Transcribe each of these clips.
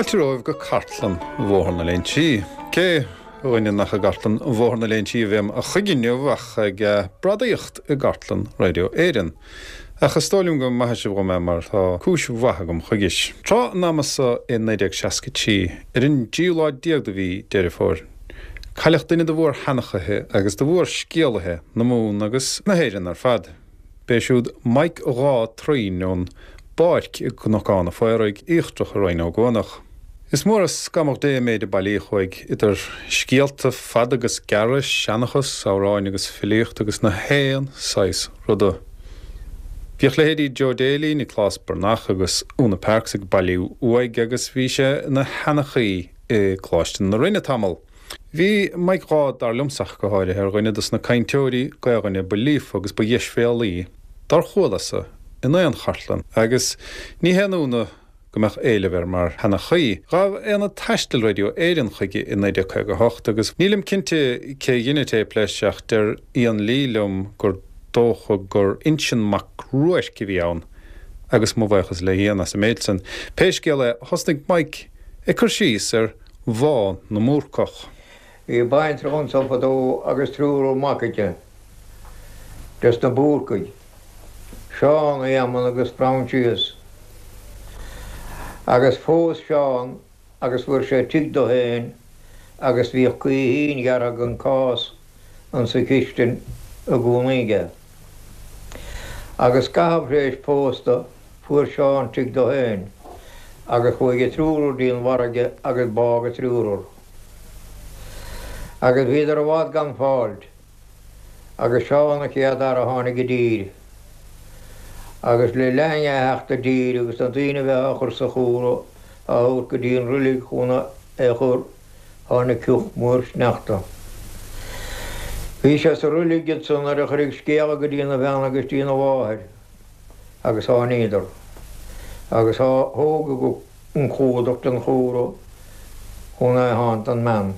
Fáilte romhaibh go cartlann Bhóthar na Léinsí. Cé, a dhuine, nach i gcartlann Bhóthar na Léinsí a bheam a choíche inniu ach ag bradaíocht i gcartlann Radio Éireann. Ach is dóigh liom go maithfidh sibh dhom é mar tá cúis mhaith agam chuigis. Tráth an ama so i 1963, ar an dtríú lá déag de mhí Deireadh Fómhair, cailleadh duine de mhór-sheanchaithe agus de mhór-scéalaithe na Mumhan agus na hÉireann ar fad. B'é siúd Mike Dhá Troim ón bPáirc i gCnocán a' Phaoraigh Íochtarach i Rinn Ó gCuanach. Is mór as scamhadh Dé an méid a bailíodh uaidh, idir scéalta fada agus gearra, seanchas, amhráin agus filíocht agus na haon saghas ruda. Bhíodh leithéidí Joe Daly, Nioclás Breathnach agus Úna Parks ag bailiú uaidh agus bhí sé ina sheanchaí i gColáiste na Rinne tamall. Bhí Mike Dhá, dar liomsa ach go háirithe, ar dhuine dos na cainteoirí Gaelainne ba líofa agus ba dheisbhéalaí dár chualasa in aon chartlann agus ní haon ionadh go mbeadh éileamh air mar sheanchaí. Ghabh Aonad Taistil Radio Éireann chuige i 1958 agus nílim cinnte cé dhein an téip leis ach deir Ian Lee liom gur dócha gur Uinseann Mac Ruairc a bhí ann agus mo bhuíochas le Ian as an méid san. Pé scéal é, thosnaigh Mike ag cur síos ar Bhá na mBúrcach. Bhí baintreach anso fadó agus triúr mac aici des na Búrcaigh, Seán, Éamonn agus Proinsias. Agus phós Seán agus fuair sé tigh do féin agus bhíodh gaoithín ghearrtha den cás insa chistin i gcónaí aige. Agus scaitheamh tar éis pósta Fuair Seán tigh dó féin agus chuaigh a triúrar dtí an bhfarraige agus bádh a triúrar. Agus bhíodar i bhfad gan fáilt agus Seán an chéad fhear a tháinig i dtír. Agus le linn é theacht i dtír agus na daoine a bheith á chur sa chúra á thabhairt go dtí an roilig chun é a chur tháinig cioth mór sneachta. Bhí sé sa roilig ansan nuair a cuireadh scéala go dtína bhean agus dtína mháthair. agus tháiníodar, agus thógadh an clúdach den chúra chun é shánnt don mbean.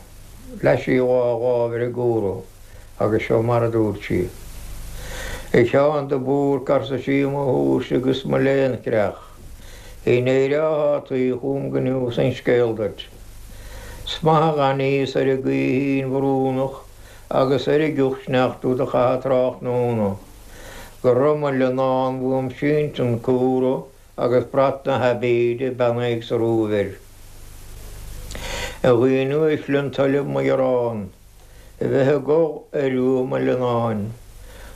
Leath sí a dhá láimh ar an gcúra agus seo mar a dúirt sí. A Sheáin de Búrc, arsa sí, mo thúirse agus mo léan-chreach, i n-éireochthá tuí chugam go neosfainn scéal duit. 'S maith a dh'aithníos ar an gcaoithín bhrúnach agus ar an gcioth sneachta do chaitheadh tráthnóna. Go raibh mo leannán uaim sínte an cúra agus brat na haibíde beannaithe sa Róimh air. A dhaoine uaisle an toil libh mo ghearán, a bheith ag gol ar uaigh mo leannáin,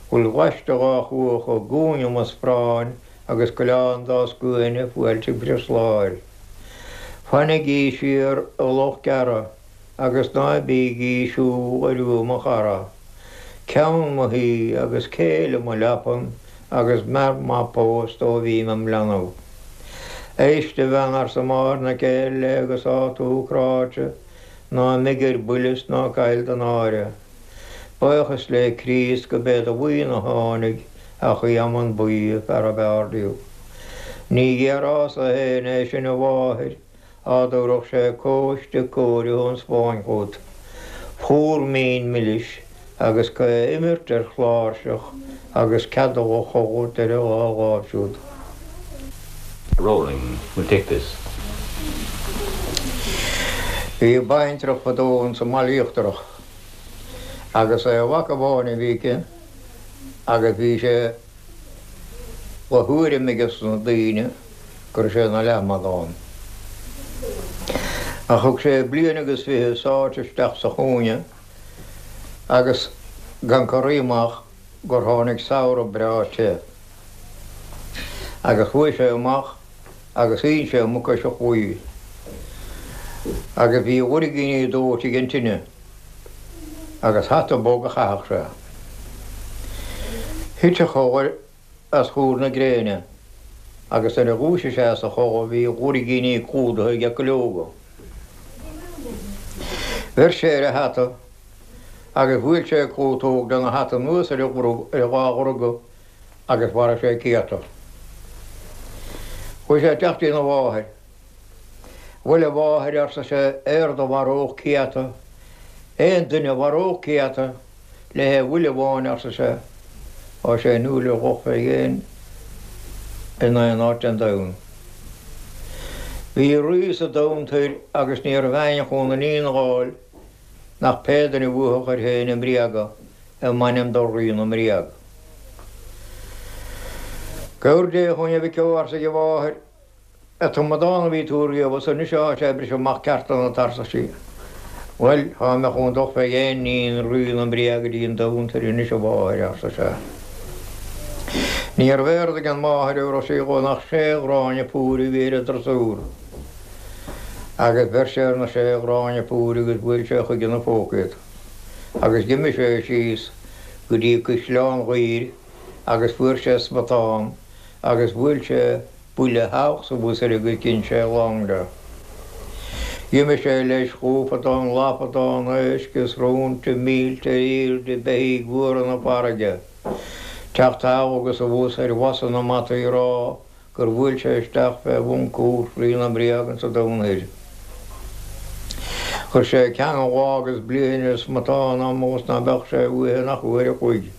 bhfuil gaiste dhá chuach i gcúinne mo spráin agus coileán dá scuaine fuáilte Bhreisláir. Fanaigí siar a lucht gearrtha agus ná bígí siúl ar uaigh mo chara. Ceann mo thí agus céile mo leapan agus m'fhear maith pósta ó bhí mé im leanbh. Éist a bhean arsa máthair na céile agus tá tú cráite, ná imigh ar buile 's ná caill do náire. Buíochas le Críost go b'é do bhuíon a tháinig ach Éamonn Buí an fear ab fhearr díobh. Ní dhéarfá-sa féin é sin a mháthair Á dtabharfadh sé cóiste cóirithe ón Spáinn chugat, plúr mín milis agus é a imirt ar chláirseach agus cead dul a chodladh ar a dhá láimh siúd. Rolling, we'll take this. Bhí baintreach fadó ins an mBaile Íochtarach agus aon mhac amháin a bhí aici agus bhí sé de thuairim aige sna daoine go raibh sé ina leathmhadán. Ach thug sé bliain agus fiche sáite isteach sa chúinne agus gan corraí amach gur tháinig samhradh breá te. Agus chuaigh sé amach agus shín sé a mucais a chlaí. Agus bhí a bhoirgíní dóite ag an tine agus hata bog a chaitheadh sé. Thit a chodladh as chúr na gréine agus nuair a dhúisigh sé as a chodladh bhí a bhoirgíní clúdaithe aige cuileoga. Bheir sé ar a hata agus bhuail sé clútóg lena hata anuas ar a dhá bhruga agus mharaigh sé céadta. Chuaigh sé isteach dtína mháthair. Bhuel, a mháthair, arsa sé, éard a mharódh céadta, aon duine a mharódh céadta le haon bhuille amháin, arsa sé, tá sé inniúil ar dhul fé dhéin in aon áit den domhan. Bhí rí sa domhan toir agus ní raibh éinne chun a iníon a dh'fháil nach pé duine a bhuafadh air féin i mbréaga i m'ainm do Rí na mBréag. Cabhair Dé chugainn a mhic ó, arsa a mháthair, Ag tumadán a bhí tú riamh is anois athá sé ag briseadh amach ceart ionat, arsa sí. Bhuel, thá mé chun dul fé dhéin iníon Rí na mBréag go dtí an domhan toir anois a mháthair, arsa sé. Níorbh éard ag an máthair a raibh sí dhó nach sé ghráinne púir a bhí ar an drasúr. Agus bheir sé ar na sé ghráinne púir agus bhuail sé chuige ina phóca iad. Agus d'imigh sé síos go dtí Caisleán Ghaoir agus fuair sé smután agus bhuail sé buille thall 's abhus air agus dhein sé long de. D'imigh sé leis dhúpadán, lapadán, éisc is róinte, mílte ar aoirde, beithígh mhóra na farraige. Teacht thall agus abhus ar bhosa na mbataí ag rá gur bhuail sé isteach fé bhun cúirt Rí na mBréag insa domhan thoir. Chuir sé ceangal lá agus bliain ar an smután am agus ná beadh sé uaithe nach uair a chloig.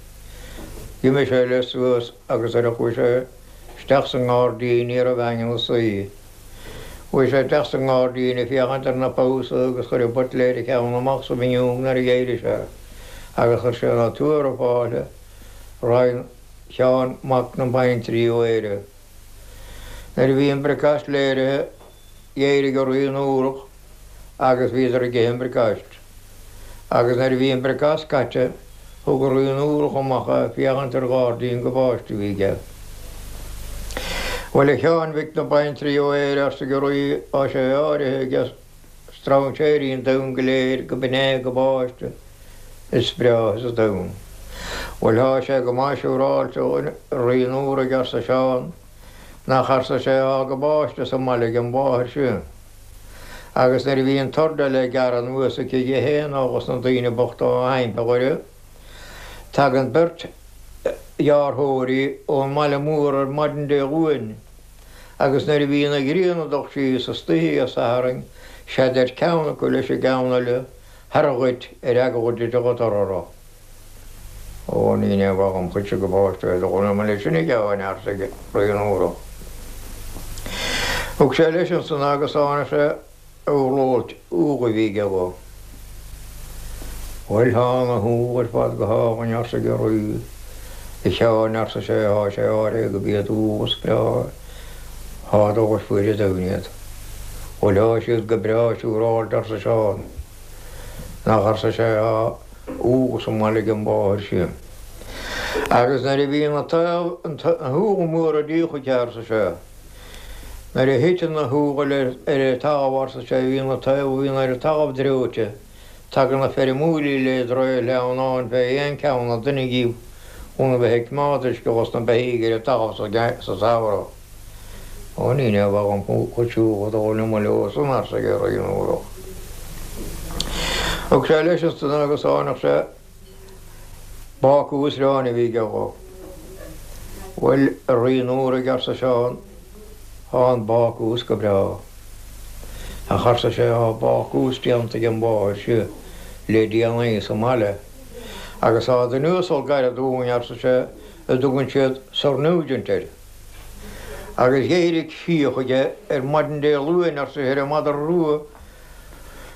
D'imigh sé leis suas agus nuair a chuaigh sé isteach sa ngairdín ní raibh éinne ina suí. Chuaigh sé isteach sa ngairdín ag féachaint ar na pabhsaetha agus chuir an buitléir a cheann amach sa bhfuinneog nuair a d'éirigh sé agus chuir sé na tuartha fáilte roimh Sheán Mac na Baintrí ó Éire. Nuair a bhí an bricfeast léirithe d'éirigh an Rí Núrach agus bhíodar ag ithe an bhricfeáist. Agus nuair a bhí an bricfeast caite thug an Rí Núrach amach é féachaint ar ghairdín gabáiste a bhí aige. Bhuel a Sheáin mhic na baintrí ó Éire arsa an Rí tá sé áirithe ag strainséirí an domhain go léir go b'in é an gabáiste is breátha sa domhan. Bhuel thá sé go maith siúráilte a Rí Núraigh arsa Seán. Nach arsa sé thá gabáiste sa mbaile ag an mháthair sin. Agus nuair a bhí an t-ord le gearradh anuas aici dhi fhéin ó dhos na daoine bochta á hiompar uirthi, tagann beirt ghearrthóirí ón mbaile mór ar maidin Dé Luain, agus nuair a bhíonn an ghrian ag dul síos istoíche Dé Sathairn, sé deir ceann acu leis an gceann eile, Thaire dhuit ar eagla duit a dhul orthu. Ó, ní aon mhaith dhom chuidse gabáiste é do dhul liom leis sin a Sheáin, arsa Rí Núrach. Thug sé leis ansan agus tháinig sé urlóid úll a bhí aige dhó. Bhuel, thá na húlla ar fad go hálainn, arsa an Rí. A Sheáin, arsa sé, thá sé áirithe go b'iad úlla is breátha thá dul ar fuaid an domhain iad. Bhuel, thá siad go breá siúráilte, arsa Seán. Nach, arsa sé, thá úlla sa mbaile ag an mháthair sin. Agus nuair a bhí na na húlla móra díolta arsa sé, nuair a thiteann na húlla ar an talamh, arsa sé, bhíonn na taobh a bhíonn ar an talamh dreoite, tagann na feirmeoirí le draoi sleamhnáin fé aon cheann an duine díobh chun a bheith ag coimeád uisce dos na beithígh ar an talamh sa samhradh. Ó, ní mhaith dhom chuid siúl a dhul liom leo san, arsa an Rí Núrach. Thug sé leis ansan agus tháinig sé bácús aráin a bhí aige dhó. Bhuel, a Rí Núraigh, arsa Seán, thá an bácús go breá. Ach, arsa sé, thá bácús déanta ag an mháthair seo le déanaí sa mbaile. Agus thá duine uasal gairid dúinn, arsa sé, a dtugann siad Sir Nugent air. Agus dh'éirigh fiach aige ar maidin Dé Luain, arsa sé, ar an madra rua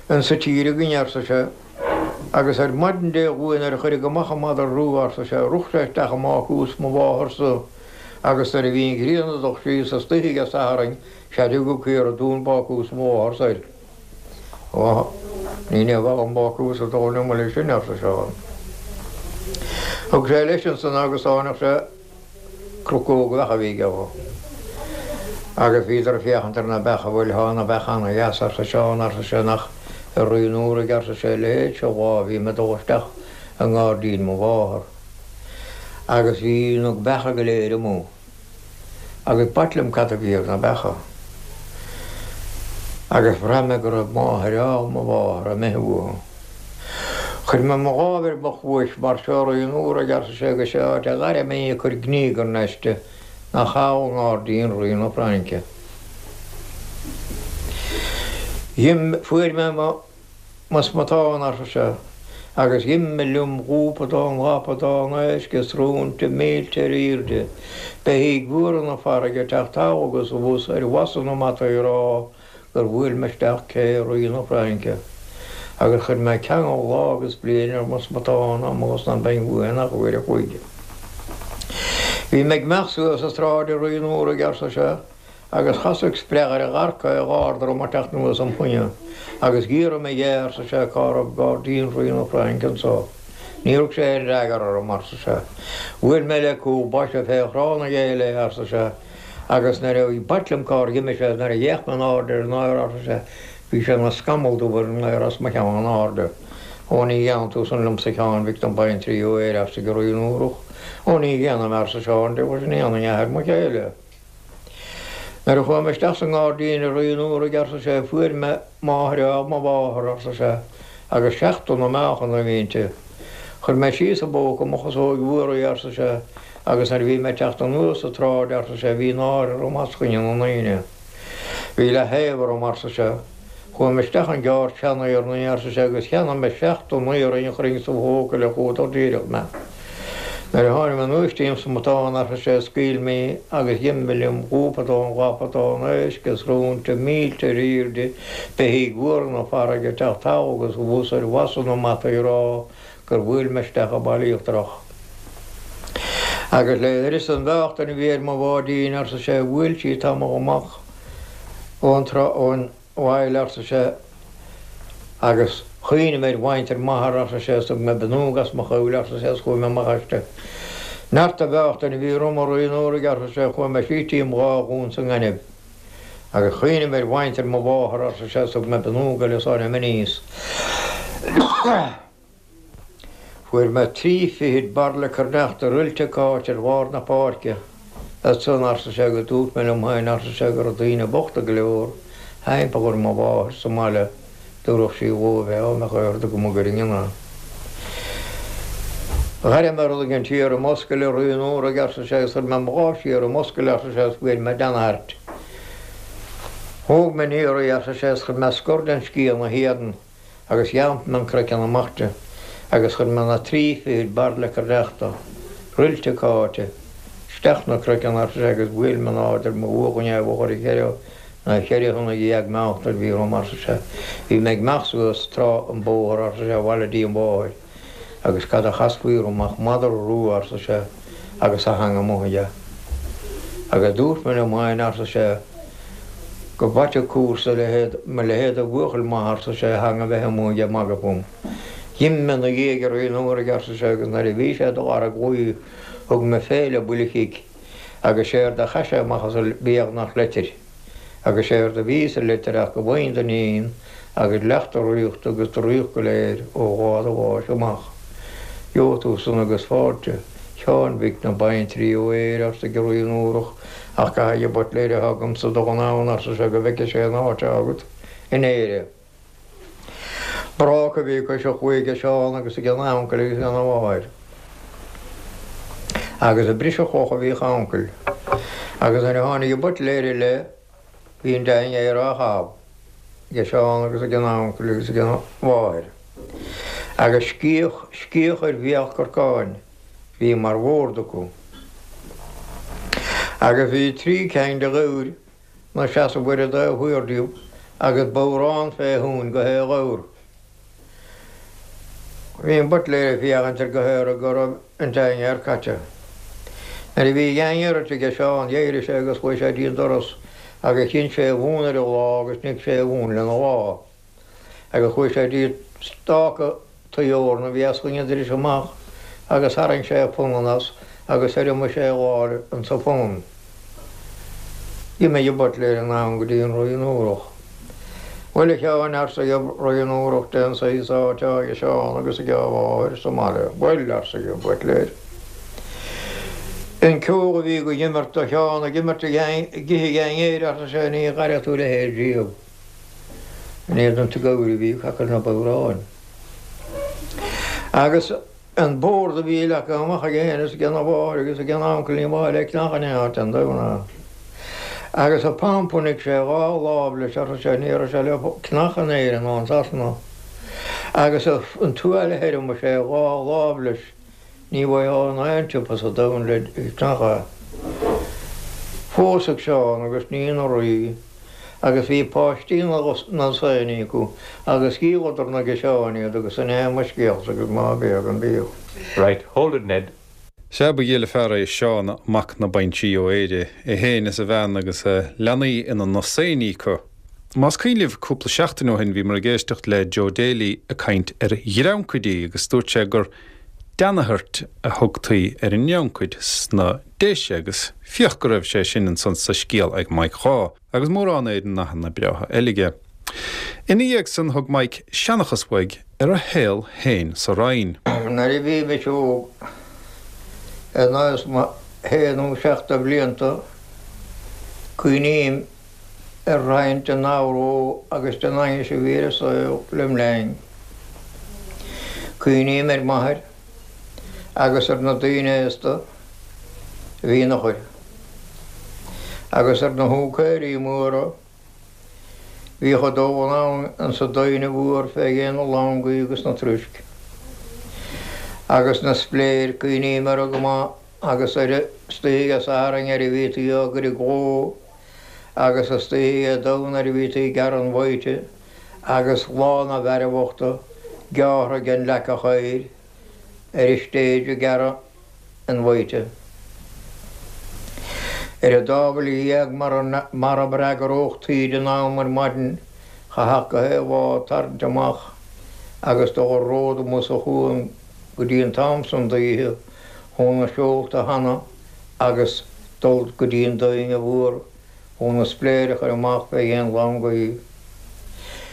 insa tír againn, arsa sé. Agus ar maidin Dé Luain nuair a cuireadh amach an madra rua, arsa sé, rug sé isteach i mbácús mo mhátharsa agus nuair a bhí an ghrian ag dul síos istoíche Dé Sathairn, sea tugadh caora dún bácús mo mhátharsa air. Ó, ní mhaith dhom bácús a dul liom leis sin, arsa Seán. Thug sé leis ansan agus tháinig sé. Crocóg bheach a bhí aige dhó. Agus bhíodar ag féachaint ar na beacha, bhuel thá na beacha ana dheas, arsa Seán, arsa sé, nach a Rí Núraigh, arsa sé, a leithéid seo lá a bhí mé ag dul isteach i ngairdín mo mháthar agus bhí na beacha go léir amuigh agus b'ait liom cad a bhí ar na beacha. Agus bhraith mé go raibh máthair áil mo mháthar imithe uathu. Chuir mé mo lámh ar mo chluais mar seo a Rí Núraigh, arsa sé, agus sé áit a d'airigh mé ag cur gníogarn aisti nach thall i ngairdín Rí na Fraince. Dh'im, fuair mé mo, mo smután, arsa sé, agus dh'imigh liom dhúpadán, lapadán, éisc is róinte, mílte ar aoirde, beithígh mhóra na farraige ag teacht thall agus abhus ar bhosa na mbataí ag rá. gur bhuail mé isteach cé Rí na Fraince agus chuir mé ceangal lá agus bliain ar mo smatán amuigh is ná beinn uaidh in ach uair a chloig. Bhí mé ag imeacht suas an tsráid i Rí an Fhuaraigh, arsa sé, agus chasadh spreachaire adharca a gharda orm ag teacht anuas im choinne, agus dh'fhiafraigh mé dhe, arsa sé, cá raibh gairdín Rí na Fraince anso. Níor thug sé aon fhreagra orm, arsa sé. Bhuail mé le cúl boise fé thrá na gcéile é, arsa sé, agus nuair a b'ait liom cár dh'imigh sé, nuair a d'fhéach mé in airde ar an aer, arsa sé, bhí sé ina scamall dubh ar an aer os mo cheann in airde. Ó ní dhéanfaidh tú san liomsa a Sheáin mhic na baintrí ó Éire, arsa Rí an Fhuarach. Ó ní dhéanfaidh mé, arsa Seán, de bhus ní dhéanfainn athair mo chéile. Nuair a chuaigh mé isteach sa ngairdín i Rí an Fhuaraigh, arsa sé, fuair mé máthair ádh mo mháthar, arsa sé, agus seachtó na meáchan a bhí inti. Chuir mé síos i bpóca mo chasóig mhór í, arsa sé, agus nuair a bhí mé ag teacht anuas an tsráid, arsa sé, bhí náire orm os coinne na ndaoine. Bhí leath-thaobh orm, arsa sé. Chuaigh mé isteach in gceárd sean-iarnaí, arsa sé, agus cheannaigh mé 79 arraing a chuirfinn sa phóca le cumhdach díreach mé. Nuair a tháinig mé anuas dtí an smatán, arsa sé, scaoil mé í agus dh'imigh liom dhúpatán, dhapatán, éisc is róinte, mílte ar aoirde, beithígh mhóra na farraige ag teacht thall agus abhus ar bhasa na mbataí ag rá gur bhuail mé isteach an Baile Íochtarach. Agus le huireasa an mheáchtain a bhí ar mo bháidín, arsa sé, bhuail sí tamall amach ón trá, ón bhaile, arsa sé, agus chuimhnigh mé ar mhuintir m'athar, arsa sé, is thug mé bonnóg as mo chuimhle, arsa sé, is chuaigh mé amach aisti. Neart an mheáchtain a bhí orm a Rí an Fhuaraigh, arsa sé, chuaigh mé síos dtí an dhá dhún sa ngaineamh. Agus chuimhnigh mé ar mhuintir mo mháthar, arsa sé, is thug mé bonnóg eile is tháinig mé aníos. Fuair mé trí fichid bairille cruithneachta ruilte cáite ar bharr na páirce. Ansan, arsa sé, agus dúirt mé liom féin, arsa sé, go raibh daoine bochta go leor thimpeall ar mo mháthair sa mbaile, dtabharfadh sí dhóibh é dá mbeadh aird agam a gcuirfinn in ann. Dh'airigh mé rud éigin siar i m'oscail a Rí an Fhuaraigh, arsa sé, agus chuir mé mo lámh siar i m'oscail, arsa sé, agus fuair mé deanairt. Thóg mé aniar í, arsa sé, agus chuir mé scor den sciath ina héadan. Agus dheamp mé an craiceann amach di, agus chuir mé na trí fichid bairille cruithneachta, ruilte cáite, isteach 'na craiceann, arsa sé, agus bhuail mé in airde ar mo bhuachan é i bhfochair a cheithre nó cheithre thonna dhéag meáchta a bhí orm, arsa sé. Bhí mé ag imeacht suas trá an bóthar, arsa sé, abhaile dtí an mháthair, agus cad a chasfaí orm ach madra rua, arsa sé, agus a theanga amuigh aige. Agus dúirt mé liom féin, arsa sé, go b'ait an cúrsa a leithéid, mo leithéid de bhuachaill maith, arsa sé, a theanga bheith amuigh aige ag magadh fúm. D'imigh mé 'na dhiaidh a Rí an Fhuaraigh, arsa sé, agus nuair a bhí sé do dhara glaoigh thug mé féile buille chic, agus séard a chaith sé amach as a bhéal nach leitir. Agus séard a bhí sa litir ach go bhfaighinn d'iníon agus leath do ríochta agus do ríocht go léir ó dháta do bháis amach. Gheobhaidh tú san agus fáilte, Sheáin mhic na baintrí ó Éire, arsa Rí an Fhuarach, ach caithfidh an buitléir atá agamsa dul anonn, arsa sé, go bhfeice sé an áit atá agat in Éire. Bráca a bhí cois an chlaí ag Seán agus ag an uncail agus ag an mháthair. Agus ag briseadh cloch a bhíodh a uncail. Agus nuair a tháinig an buitléir i leith bhí an dinnéar á chaitheamh ag Seán agus ag an uncail agus ag an mháthair. Agus sciath, sciath ar bhéal corcáin bhí mar bhord acu. Agus bhí trí cinn de ghabhair 'na seasamh ar an dtaobh thiar díobh agus bodhrán fé thóin go haon ghabhar. Bhí an buitléir ag féachaint air go haora go raibh an dinnéar caite. Nuair a bhí a dhinnéar ite aige Seán d'éirigh sé agus chuaigh sé dtí an doras agus chinn sé a mhún ar a lámh agus nigh sé a mhún lena lámh. Agus chuaigh sé dtí stáca tuí eorna a bhí os coinne an dorais amach agus tharraing sé a phunann as agus thiriomaigh sé a lámh insa phunann. D'imigh an buitléir anonn go dtí an Rí an Fhuarach. Bhuel, a Sheáin, arsa an Rí an Fhuarach, dén saghas áit atá ag Seán agus ag a mháthair sa mbaile. Bhuel, arsa an buitléir, an ceol a bhí go imirt do Sheán ag imirt ag ithe a dhinnéir, arsa sé, ní dh'aireoidh tú a leithéid riamh. In éadan na gabhar a bhí ag cur na bodhráin. Agus an bord a bhí leagtha amach aige féin is ag an mháthair agus ag an uncail ní mhaith le cnach in aon áit an domhan é. Agus an pump a nigh sé dhá lámh leis arsa sé ní raibh sé le cnach in Éirinn ná in Sasana. Agus an tuáille a thiriomaigh sé dhá lámh leis Ní bhfaighfeá in aon tsiopa sa domhan le cnach é. Phósfadh Seán agus ní ina rí. Agus bhí páistí ina ndosaenaí acu agus dhíoladar na ciseáin iad agus sin é mo scéalsa agus ná bréag an bíodh. Right, hold it Ned. Sea, ba ghile fear é Seán Mac na Baintrí ó Éire, é féin is a bhean agus a leanaí ina ndosaenaí acu. Más cuimhin libh, cúpla seachtain ó shin bhíomar ag éisteacht le Joe Daly ag caint ar dhreancaidí agus dúirt sé gur deannathairt a thugtaí ar an ndreancaid sna Déise agus féach go raibh sé sin ansan sa scéal ag Mike Dhaw agus mórán ar nathanna breátha eile aige. Ina dhiaidh san thug Mike seanchas uaidh ar a shaol féin sa Rinn. Nuair a bhí mise óg, in aois mo shé nó seacht de bhlianta, cuimhním ar roinnt den aghró agus den aighneas a bhí ar an saol lem linn. Cuimhním ar m'athair agus ar na daoine aosta a bhí ina fhochair, agus ar na húicéirí móra a bhíodh ag dul anonn insa dtoinn mhór fé dhéin na longaí agus na truisc, agus na spléir, cuimhním orthu go maith agus ar istoíche Dé Sathairn nuair a bhítí á gcur i gcló agus istoíche Dé Domhnaigh nuair a bhítí ag gearradh an bhaoite agus lá na bhfeartha gearrtha den leac oighir ar an stage ag gearradh an bhaoite. Ar an dá bhuille dhéag marab fhreagródh taoide in am ar maidin chaithfeadh go haon bhád tarraingt amach agus dul ar ród amuigh sa chuan go dtí an t-am san d'oíche chun na seolta a shannadh agus dul go dtí an dtoinn mhór chun na spléir a chur amach fé dhéin longaí.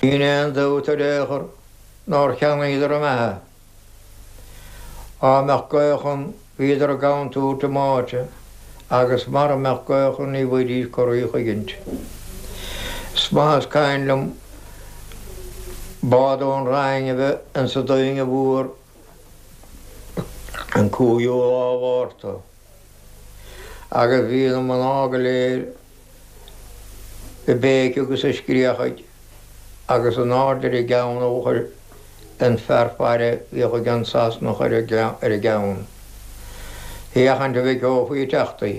Níl aon dabht ar aon chor nár cheannaíodar a mbeatha. Á mbeadh gaoth ann bhíodar i gcontúirt a mbáite agus mara mbeadh gaoth ann ní bhfaighidís corraí a choigint. Is maith is cuimhin liom bád ón Rinn a bheith insa dtoinn mhór an 5ú lá Mhárta agus bhí na mná go léir ag béiceadh agus ag scréachaigh agus in airde ar a gceann a chuir an fear faire bhíodh ag an Sasanach ar a gceann féachaint an bhfeiceofaí ag teacht í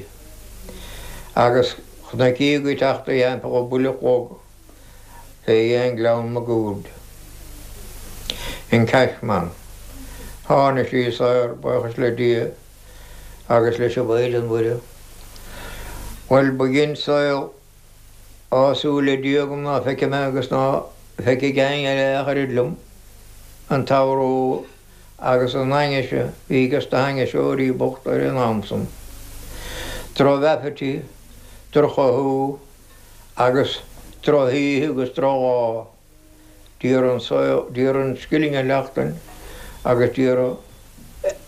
agus chonaic í ag teacht í thimpeall an buille chlog fé dhéin Gleann Maguaird. An Cashman. Tháinig sí saor, buíochas le Dia agus leis an Mhaighdean Mhuire. Bhuel, ba dhein saol tá súil le Dia agam ná feicfidh mé agus ná feicfidh éinne eile ach oiread liom, an t-aghró agus an aighneas a bhí ages na hainniseoirí bochta ar an am san. Droch-aipitít, droch-chothú, agus drochoíche agus drochlá, d'iarraidh an saol, d'iarraidh an scilling a sheachtain agus d'iarraidh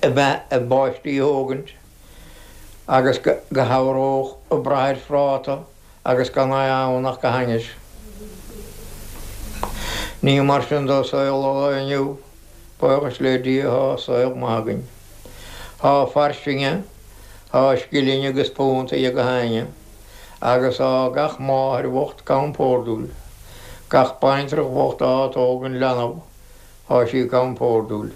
a bpáistí a thógaint agus go gcabhródh ag brath ar phráta agus gan é ann ach go hainnis. Ní mar sin do saol an lae inniu, buíochas le Dia thá saol maith againn. Thá fairsinge, thá scilling agus punt ag gach éinne. Agus tá gach máthair bhocht compordúil, gach baintreach bhocht atá ag tógaint leanbh, tá sí compordúil.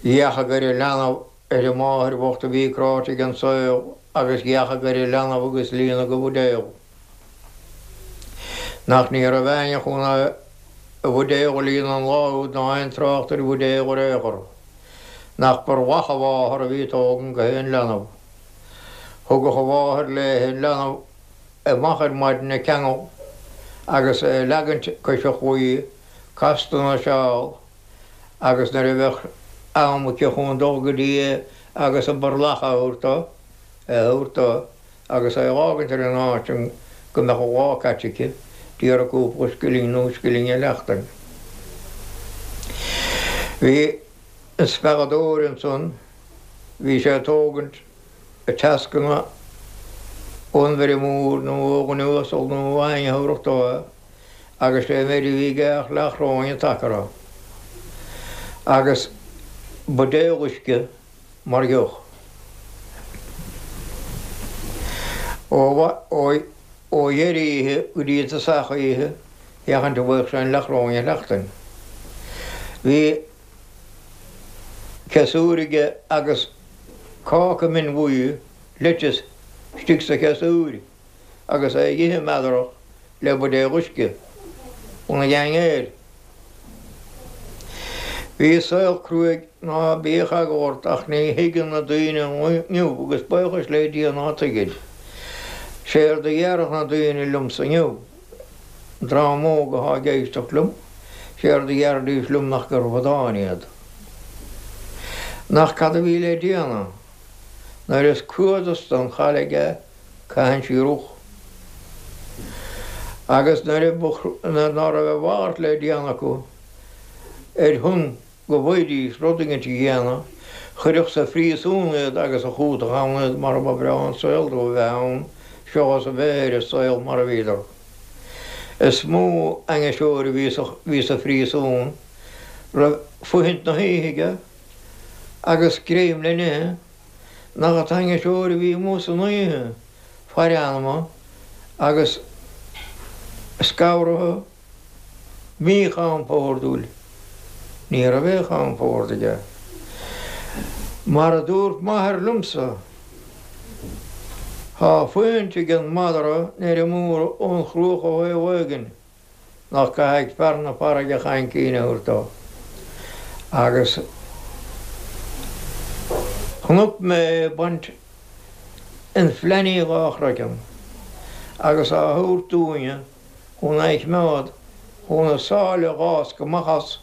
Dheachaigh ar an leanbh ar an máthair bhocht a bhí cráite ag an saol agus dheachaigh ar an leanbh agus líonadh a bhuidéal. Nach ní raibh éinne chun a bhuidéal a líonadh an lá úd ná aon trácht ar bhuidéal ar aon chor. Nach b'ar mhaith a mháthar a bhí ag tógaint gach aon leanbh. Thugadh a mháthair léi an leanbh amach ar maidin ina ceangal agus é a leagaint cois an chlaí casta ina seál agus nuair a bheadh am aici chun dul go dtí é agus an burlach a thabhairt dó, é a thabhairt dó agus é a fhágaint ar an áit sin go mbeadh an lá caite aici, d'iarradh cúpla scilling nó scilling a sheachtain. Bhí an spealadóir ansan. Bhí sé ag tógaint a tascanna ón bhfeirmeoir nó ó dhuine uasal nó ó éinne a thabharfadh dó é agus sé an méid a bhí aige ach leathchoróin an tsacar agus buidéal uisce mar dheoch. Ó dheireadh oíche go dtí an tosach oíche féachaint an bhfaigheadh sé an leathchoróin a sheachtain. Bhí. Ciosúr aige agus cáca min bhuí lettuce istigh sa chiosúr agus é ag ithe meadarach. Le buidéal uisce chun a ghean air. Bhí saol cruaidh ná bíodh eagla ort ach ní thuigeann na daoine inniu agus buíochas le Dia ná tuigid. Séard a dhéarfadh na daoine liomsa inniu, an dream óg athá ag éisteacht liom, séard a dhéarfaidís liom nach gur bhradáin iad. Nach cad a bhí le déanamh? Nuair is crua dusta an chaillig é, caitheann sí rúch. Agus nuair ná raibh a mhalairt le déanamh acu, ar shon go bhfaighidís rud éigint a dhéanamh, chuirfeadh sa phríosún iad agus a chúiteamh ann iad mar ba bhreá an saol dóibh a bheith ann seochas a bheith ar an saol mar a bhíodar. Is mó ainniseoir a bhí sa phríosún raibh fuithint na hoíche aige agus greim le n-ithe, nach an t-ainniseoir a bhí amuigh san oíche, faire anama agus scanraithe míchompordúil. Ní raibh aon chompord aige. Mar a dúirt m'athair liomsa, Tá fuithint ag an madra nuair a mór ón chruach ó thaobh éigin. nach gcaithfidh fear na farraige chaincín a thabhairt dó. Agus chonaic mé é ag baint an fleannaí dhá chraiceann agus á thabhairt dúinne chun é a choimeád chun an sáile a dh'fháscadh amach as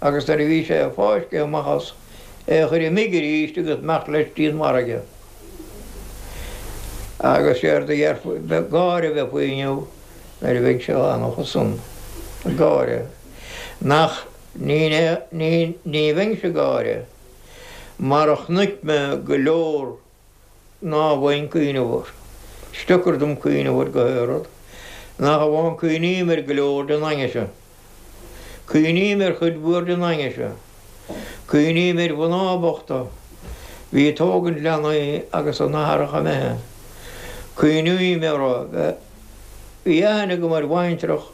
agus nuair a bhí sé fáiscthe amach as, é a chur imigh arís agus imeacht leis dtí an bhfarraige. Agus séard a dhéarfaí, gáire a bheith faoi inniu. Nuair a bheinnse á anacha san ag gáire, nach ní ní ní bheinnse ag gáire, mar a chonaic mé go leor ná bhfaighinn cuimhneamh air. Is deacair dom cuimhneamh air go haon rud, nach amháin cuimhním ar go leor den ainnise. Cuimhním ar chuid mhór den ainnise. Cuimhním ar mhná bochta bhí ag tógaint leanaí agus a n-athaireacha imithe. Cuimhním orthu. Bhí aithne agam ar bhaintreach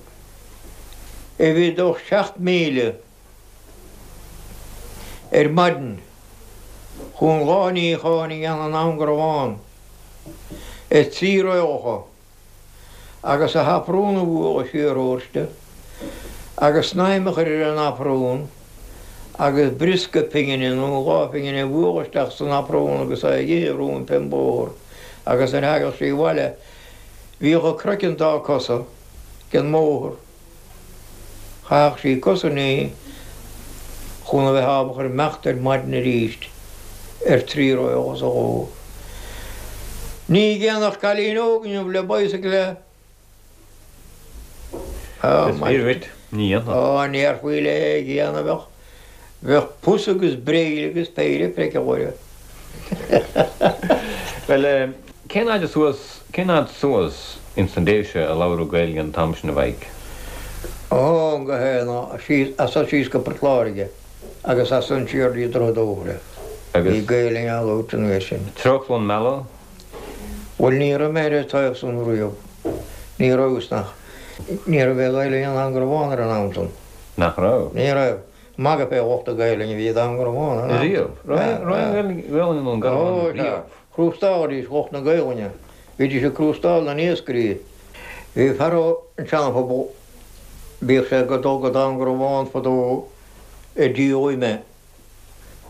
a bhí ag dul 7000 ar maidin chun lá níocháin a dhéanamh i nDún Garbhán ar thrí roithleacha. agus a haprún a bhualadh siar uirthi agus snaidhm a chur ar an aprún agus briosca pingine nó dhá phingine a bhualadh isteach san aprún agus é a ithe roimpi an bóthar agus nuair a thagadh sí abhaile bhíodh a craiceann dá cosa den mbóthar. Chaithfeadh sí cos a ní chun a bheith ábalta imeacht ar maidin arís ar thrí roithleacha sa ló. Ní dhéanfadh cailín óg inniu le bicycle é. Is fíor dhuit, ní dhéanfadh. Á ndéarfaí léi é a dhéanamh bheadh, bheadh pus agus braill agus péire priocadh uirthi. Bhuel, cén fhaid suas, cén fhad suas ins na Déise a labhradh Gaeilge an t-am sin a Mhaidhc? Ó, go hé, síos, as san síos go Port Láirge agus as san siar dtí Droichead Óir. Agus. Bhí Gaeilge á labhairt an uair sin. Treochlann Meala? Bhuel, ní raibh mé ar an taobh san riamh. Ní rabhas, nach. Ní raibh aon Ghaeilge i nDún Garbhán ar an am san. Nach raibh? Ní raibh. Magadh fé lucht na Gaelainne a bhí i nDún Garbhán. Riamh? Raibh aon Ghaelainn i nDún Garbhán riamh? Crústálaidís lucht na Gaelainne. Bhídís ag crústáil na n-iascairí. Bhí fear ó an Seana-Phobal, bhíodh sé ag dul go Dún Garbhán fadó ag díol ime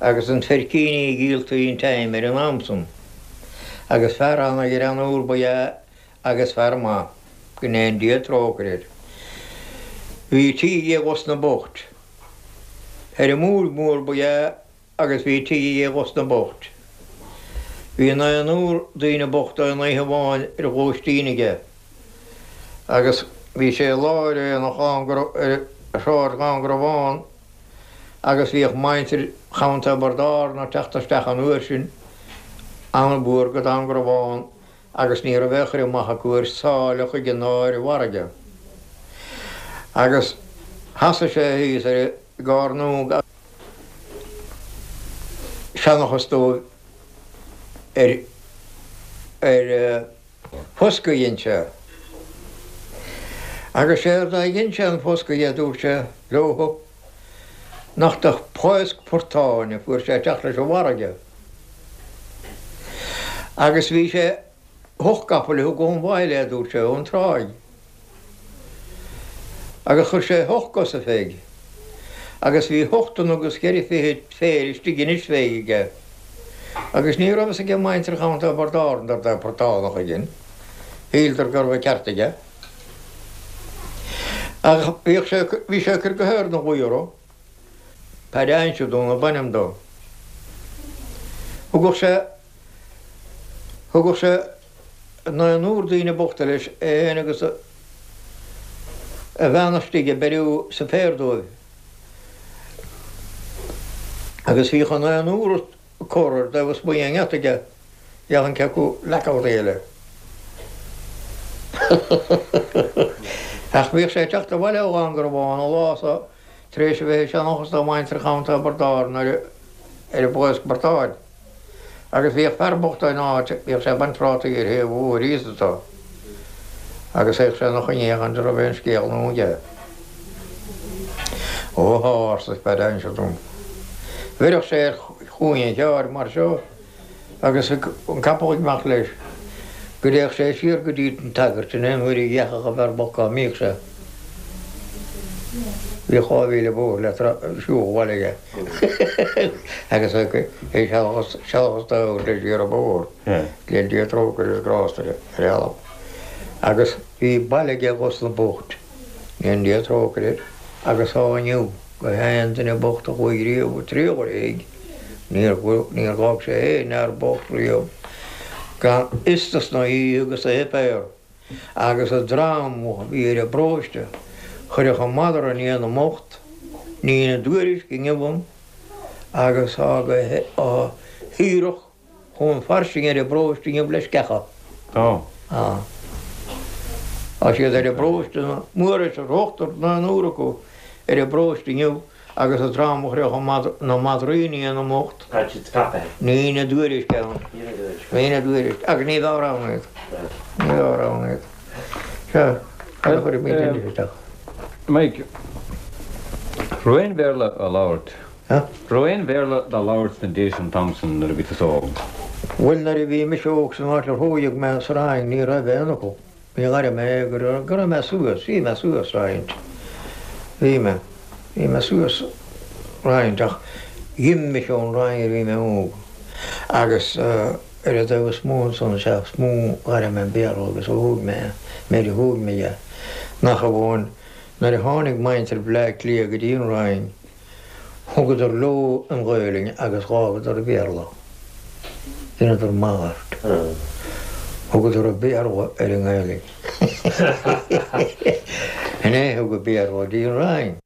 agus an feircíní a dhíoltaí an t-im ar an am san. Agus fear ana-ghreannúr ba ea agus fear maith, go ndéana Dia trócaire air. Bhí tigh aige i Ros na mBocht. Feirmeoir mór ba ea agus bhí tigh aige i Ros na mBocht. Bhí naonúr daoine bochta aon oíche amháin ar lóistín aige agus bhí sé i lár aonach ar Shráid Dhún Garbhán agus bhíodh muintir Chontae Thiobraid Árann ag teacht isteach an uair sin an-mhór go Dún Garbhán agus ní raibh aon chur amach acu ar sáile chuige ná ar an bhfarraige. Agus sheasadh sé thíos ar an gcearnóg ag seanchas dóibh ar ar foscadh a dhein sé. Agus séard a dhein sé an foscadh a dúirt sé leothu, nach de pháosc portáin a fuair sé teacht leis an bhfarraige. Agus bhí sé hocht gcapall a thug ón bhaile é, dúirt sé, ón tráigh. Agus chuir sé hocht gcosa féig. Agus bhí hochtannadh agus cheithre fichid phéire istigh anois féig aige. Agus ní raibh fhios age muintir Chontae Thiobraid Árann dár dtaobh portánach éigin. Shíleadar go raibh an ceart aige. Ach bhíodh sé, bhí sé ag cur go haer na ghaoth orthu. Paddy Uinseadún ab ainm dó. Thugadh sé, thugadh sé naonúr daoine bochta leis, é féin agus a bhean istigh ag beiriú suipéir dóibh. Agus bhíodh an naonúr ag cur ar dtaobh ismuigh den ngeata aige, dheamhan cé acu leac eile. Ach bhíodh sé ag teacht abhaile ó Gharbhán an lá so tar éis a bheith ag seanchas do mhuintir Chontae Thiobraid Árann ar an bpoblacht portáin. Agus bhíodh fear bocht in áit, bhíodh sé ag baint prátaí ar thaobh an bhóthair thíos anso, agus théadh sé ina choinne féachaint an raibh aon scéal nua aige. Ó thá, arsa Paddy Uinseadún. Bheireadh sé ar chúinne an chairr mar seo agus an capall ag imeacht leis, go dtéadh sé siar go dtí an tsagart in aon uair a dheachadh an fear bocht cá mbíodh sé. Bhíodh 2000 bóthar le siúl abhaile aige agus é ag sealachas dá thabhairt leis siar an bóthar. Le Dia trócaire is grásta air ar ealbh. Agus bhí baile aige dhos na boicht. Go ndéana Dia trócaire air agus tá inniu go haon duine bocht a chuaigh riamh ag triall ar a thigh. Níor níor dh'fhág sé aon fhear bocht riamh gan fhios dos na hithe agus a shuipéar. Agus an dream a bhí ar an bparóiste, chuirfeadh an madra i ndiaidh na mbocht, ní ina dtuairisc inniu ann, agus tá go haerach chomh fairsing ar an bparóiste inniu le sceacha. Tá. Tá. Tá siad ar an bparóiste, Muiris, an ochtar naonúr acu ar an bparóiste inniu. Agus an dream a chuirfeadh na madraí i ndiaidh na mbocht. Tá siad scaipthe. Ní ina dtuairisc ann. Ní ina dtuairisc. Ní ina dtuairisc. Agus ní bheadh ann iad. Ní bheadh ann iad. Sea, cad a chuirfimid anois isteach? Mike, raibh aon Bhéarla á labhairt? Huh? Raibh aon Bhéarla dá labhairt sna Déise an t-am san nuair a bhí tusa óg? Bhuel, nuair a bhí mise óg san áit ar thóigeadh mé sa Rinn, ní raibh aon fhocal. Ní ghaire mé go raibh, go raibh mé suas, bhí mé suas roinnt, bhí mé, bhí mé suas roinnt ach dh'imigh mise ón Rinn nuair a bhí mé óg agus ar an dtaobh is mó ansan is ea is mó ghaire mé an Béarla agus a thóg mé é, méid a thóg mé é, nach amháin nuair a tháinig muintir Bhleá Cliath go dtí an Rinn, Thugadar leo an Ghaelainn agus dh'fhágadar an Béarla. Dheineadar malairt. Thugadar an Béarla ar an nGaelainn. Sin é a thug an Béarla go dtí an Rinn.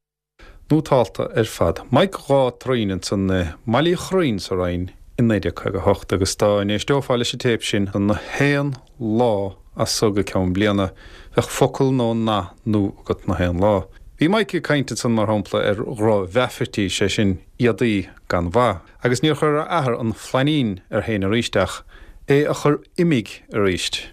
Nótálta ar fad. Mike Dhá Troim ansan i mBaile Uí Churraoin sa Rinn i 1958 agus dá n-éisteofá leis an téip sin na haon lá as so go ceann bliana, bheadh focal nó nath nua agat na haon lá. Bhí Mike ag caint ansan, mar shampla, ar dhroch-mheafairtí, sé sin, éadaí gan mhaith, agus níor chuir a athair an flainín air féin aríst ach é a chur uimig aríst.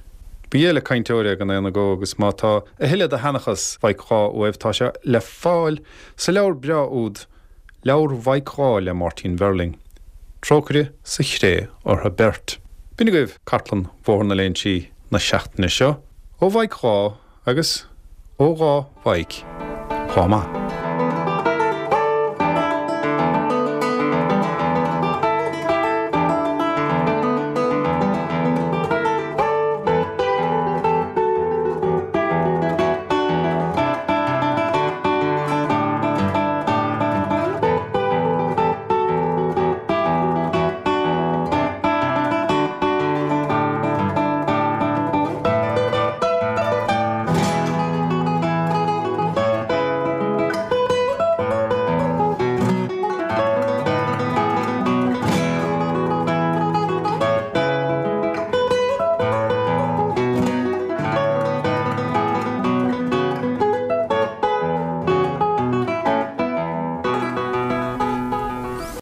Ba dhéile cainteoir é gan aon agó agus má tá a thuilleadh de sheanchas Mhaidhc Dhá uaibh tá sé le fáil sa leabhar breá úd Leabhar Mhaidhc Dhá le Máirtín Verling. Trócaire sa chré orthu beirt. B'in agaibh Cartlann Bhóthar na Léinsí na seachtaine seo, ó Mhaidhc Dhá agus ó Dhá Mhaidhc. Lá maith.